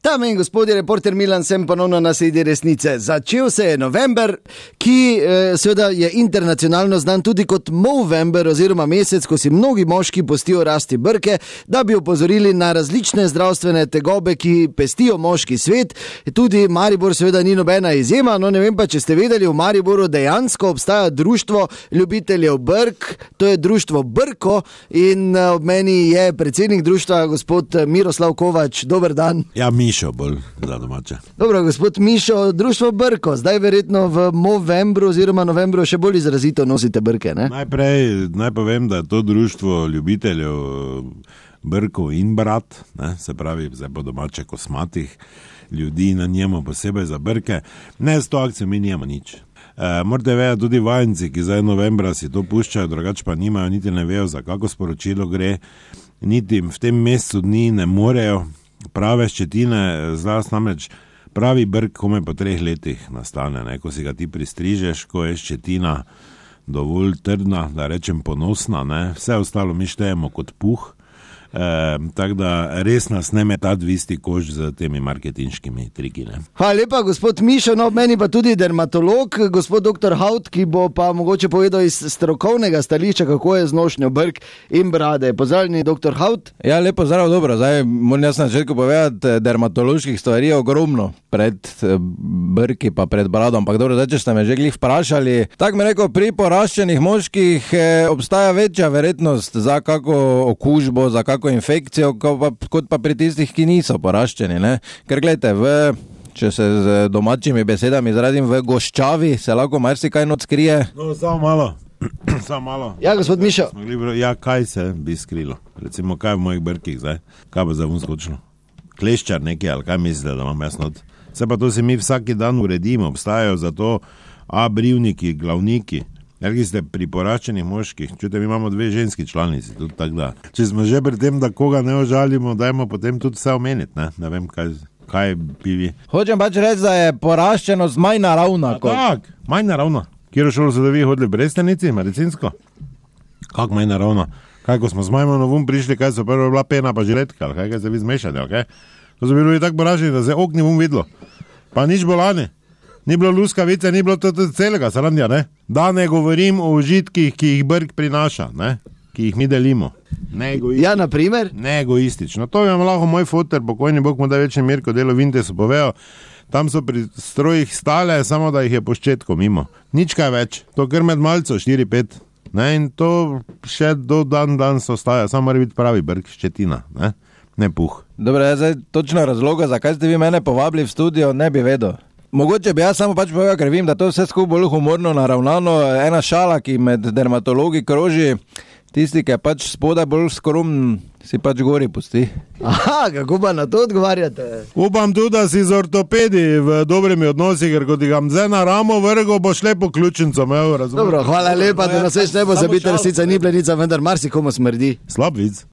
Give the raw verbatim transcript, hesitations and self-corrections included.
Dame in gospodje, reporter Milan, sem ponovno na sredi resnice. Začel se je november, ki eh, seveda je internacionalno znan tudi kot Movember oziroma mesec, ko si mnogi moški pustijo rasti brke, da bi opozorili na različne zdravstvene tegobe, ki pestijo moški svet. Tudi Maribor seveda ni nobena izjema, no ne vem pa, če ste vedeli, v Mariboru dejansko obstaja društvo ljubiteljev brk, to je društvo Brko in ob meni je predsednik društva gospod Miroslav Kovač. Dober dan. Ja, Mišo bolj za domače. Dobro, gospod Mišo, društvo Brko, zdaj verjetno v Movembru oziroma novembru še bolj izrazito nosite brke, ne? Najprej naj povem, da je to društvo ljubiteljev brkov in brat, ne? Se pravi, zdaj po domače kosmatih ljudi na njemu posebej za brke. Ne, s to akcijo mi nijemo nič. E, morate vedeti, tudi vajenci, ki zdaj novembra si to puščajo, drugače pa nimajo, niti ne vejo, za kako sporočilo gre, niti v tem mesecu dni ne morejo. Prave ščetine, zlasti namreč pravi brk kome po treh letih nastane, ne? Ko si ga ti pristrižeš, ko je ščetina dovolj trdna, da rečem ponosna, ne? Vse ostalo mi štejemo kot puh. E, tako da res nas ne metati v isti koš z temi marketinškimi triki. Ne? Hvala lepa, gospod Mišo, no meni pa tudi dermatolog, gospod doktor Haut, ki bo pa mogoče povedal iz strokovnega stališča, kako je z nošnjo brk in brade. Pozdravljeni, doktor Haut. Ja, lepo zdrav, dobro. Zdaj moram jaz na začetku povedati, dermatoloških stvari je ogromno pred brki pa pred bradom, ampak dobro, zdaj, če ste me že glih vprašali, tako mi rekel, pri poraščenih moških eh, obstaja večja verjetnost za kako okužbo, za kako infekcijo, kot pa pri tistih, ki niso poraščeni, ne? Ker gledajte, v, če se z domačimi besedami izrazim, v goščavi se lahko marsikaj noč skrije. No, samo malo, samo malo. Ja, gospod Mišo. Ja, kaj se bi skrilo? Recimo, kaj v mojih brkih zdaj? Kaj bo zdaj vun skočilo? Kleščar nekaj, ali kaj mislite, da imam jaz not? Se pa to si mi vsaki dan uredimo, obstajajo za to a brivniki, glavniki. Ker ste pri poraščenih moških, čujte, mi imamo dve ženski članici, tudi tako da. Če smo že pri tem, da koga ne ožalimo, dajmo potem tudi vse omeniti, ne? Ne vem, kaj, kaj bi vi. Hočem pač reči, da je poraščenost manj naravna. Kot... Tak, manj naravna. Kjero šolo so da vi hodili brestenici, medicinsko? Kak manj naravna? Kaj, ko smo z Majmonovom prišli, kaj so prvo bila pena pa žiletka, ali kaj, kaj se vi zmešali, ali kaj? To so bili tako poraščeni, da se okni bom videlo. Pa nič bolane. Ni bilo luskavice, ni bilo to, to celega srandja, ne? Da ne govorim o užitkih, ki jih brk prinaša, ne? Ki jih mi delimo. Ne ja, na primer? Ne egoistično. To bi vam lahko moj foter, pokojni Bog mu da večni Mirko delo Vintesu povedal. Tam so pri strojih stale, samo da jih je po ščetku mimo. Nič kaj več. To kar med malco, štiri pet. Ne? In to še do dan danes ostaja. Samo mora biti pravi brk, ščetina, ne? Ne puh. Dobre, zdaj točno razloga, zakaj ste vi mene povabili v studio, ne bi vedel. Mogoče bi jaz samo pač povedal, ker vem, da to vse skupaj bolj humorno naravnano, ena šala, ki med dermatologi kroži, tisti, ki je pač spodaj bolj skromen, si pač gori pusti. Aha, kako pa na to odgovarjate? Upam tudi, da si z ortopedi v dobrimi odnosi, ker ko ti ga mze na ramo vrgo, boš lepo ključnico imel, razumem. Dobro, hvala lepa, da nas več ne bo zabiti, resnica ni plenica, vendar marsikomu smrdi. Slab vic.